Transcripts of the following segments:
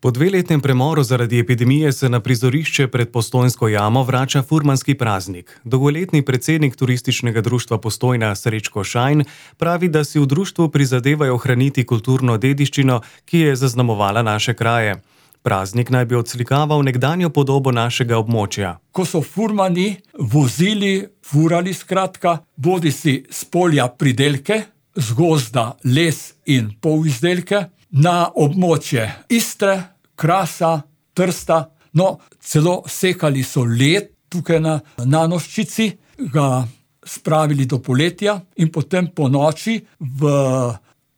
Po dveletnem premoru zaradi epidemije se na prizorišče pred Postojnsko jamo vrača furmanski praznik. Dolgoletni predsednik Turističnega društva Postojna Srečko Šajn pravi, da si v društvu prizadevajo ohraniti kulturno dediščino, ki je zaznamovala naše kraje. Praznik naj bi odslikaval nekdanjo podobo našega območja. Ko so furmani furali skratka, bodisi s polja pridelke, z gozda les in polizdelke, na območje Istre, Krasa, Trsta, celo sekali so led tukaj na Nanoščici, ga spravili do poletja in potem po noči v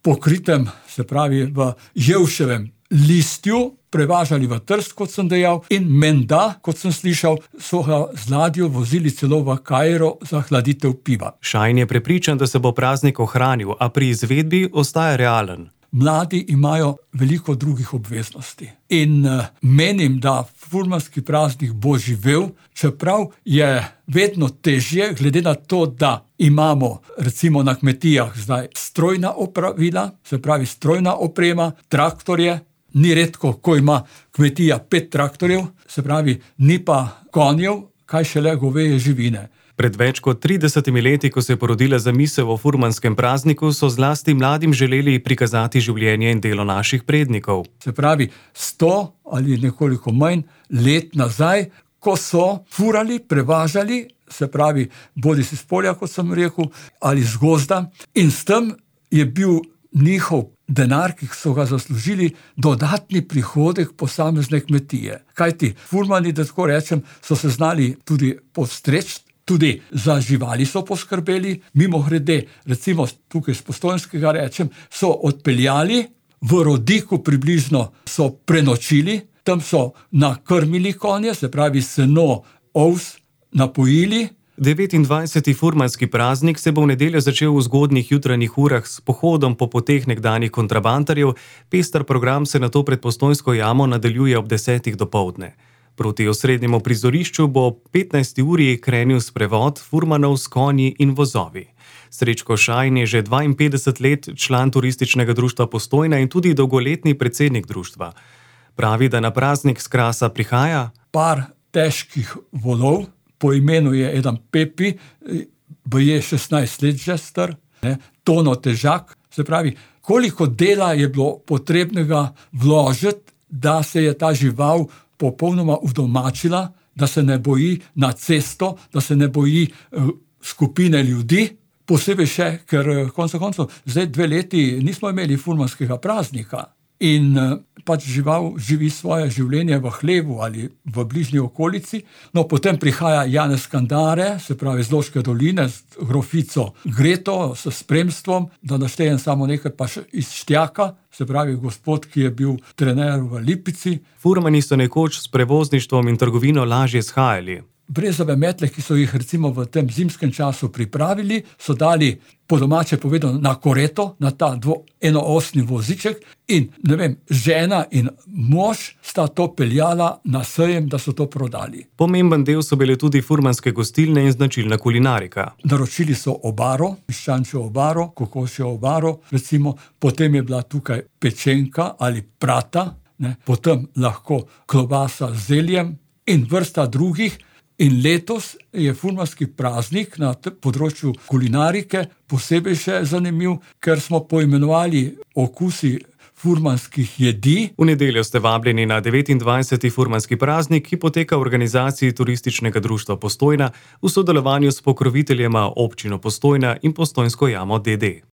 pokritem, se pravi v jevševem listju, prevažali v Trst, kot sem dejal, in menda, kot sem slišal, so ga z ladjo vozili celo v Kairo za hladitev piva. Šajn je prepričan, da se bo praznik ohranil, a pri izvedbi ostaja realen. Mladi imajo veliko drugih obveznosti in menim, da furmanski praznik bo živel, čeprav je vedno težje, glede na to, da imamo recimo na kmetijah zdaj strojna opravila, se pravi strojna oprema, traktorje. Ni redko, ko ima kmetija 5 traktorjev, se pravi, ni pa konjev, kaj šele goveje živine. Pred več kot 30 leti, ko se je porodila zamisel o furmanskem prazniku, so zlasti mladim želeli prikazati življenje in delo naših prednikov. Se pravi, 100 ali nekoliko manj let nazaj, ko so furali, prevažali, se pravi, bodisi s polja, kot sem rekel, ali z gozda, in s tem je bil njihov denar, ki so ga zaslužili, dodatni prihodek posamezne kmetije. Kajti furmani, da tako rečem, so se znali tudi postreči, tudi za živali so poskrbeli, mimogrede, recimo tukaj z Postojnskega rečem, so odpeljali, v Rodiku približno so prenočili, tam so nakrmili konje, se pravi seno, ovs, napojili. 29. furmanski praznik se bo v nedeljo začel v zgodnjih jutranjih urah s pohodom po poteh nekdanjih kontrabandarjev, pester program se nato pred Postojnsko jamo nadaljuje ob 10. dopoldne. Proti osrednjemu prizorišču bo ob 15. uri krenil sprevod furmanov s konji in vozovi. Srečko Šajn je že 52 let član Turističnega društva Postojna in tudi dolgoletni predsednik društva. Pravi, da na praznik s Krasa prihaja par težkih volov, po imenu je eden Pepi, je 16 let že star, tono težak, se pravi, koliko dela je bilo potrebnega vložiti, da se je ta žival popolnoma udomačila, da se ne boji na cesto, da se ne boji skupine ljudi, posebej še, ker koncev zdaj 2 leti nismo imeli furmanskega praznika in pač žival živi svoje življenje v hlevu ali v bližnji okolici. Potem prihaja Janez Kandare, se pravi z Loške doline, z grofico Greto, s spremstvom, da naštejem samo nekaj pa še iz Štjaka, se pravi gospod, ki je bil trener v Lipici. Furmani so nekoč s prevozništvom in trgovino lažje shajali. Brezove metle, ki so jih recimo v tem zimskem času pripravili, so dali po domače povedano na koreto, na ta enoosni voziček in, žena in mož sta to peljala na sejem, da so to prodali. Pomemben del so bile tudi furmanske gostilne in značilna kulinarika. Naročili so obaro, piščančjo obaro, kokošjo obaro, recimo, potem je bila tukaj pečenka ali prata, potem lahko klobasa z zeljem in vrsta drugih. In letos je furmanski praznik na področju kulinarike posebej še zanimiv, ker smo poimenovali okusi furmanskih jedi. V nedeljo ste vabljeni na 29. furmanski praznik, ki poteka v organizaciji Turističnega društva Postojna v sodelovanju s pokroviteljema občino Postojna in Postojnsko jamo d.d.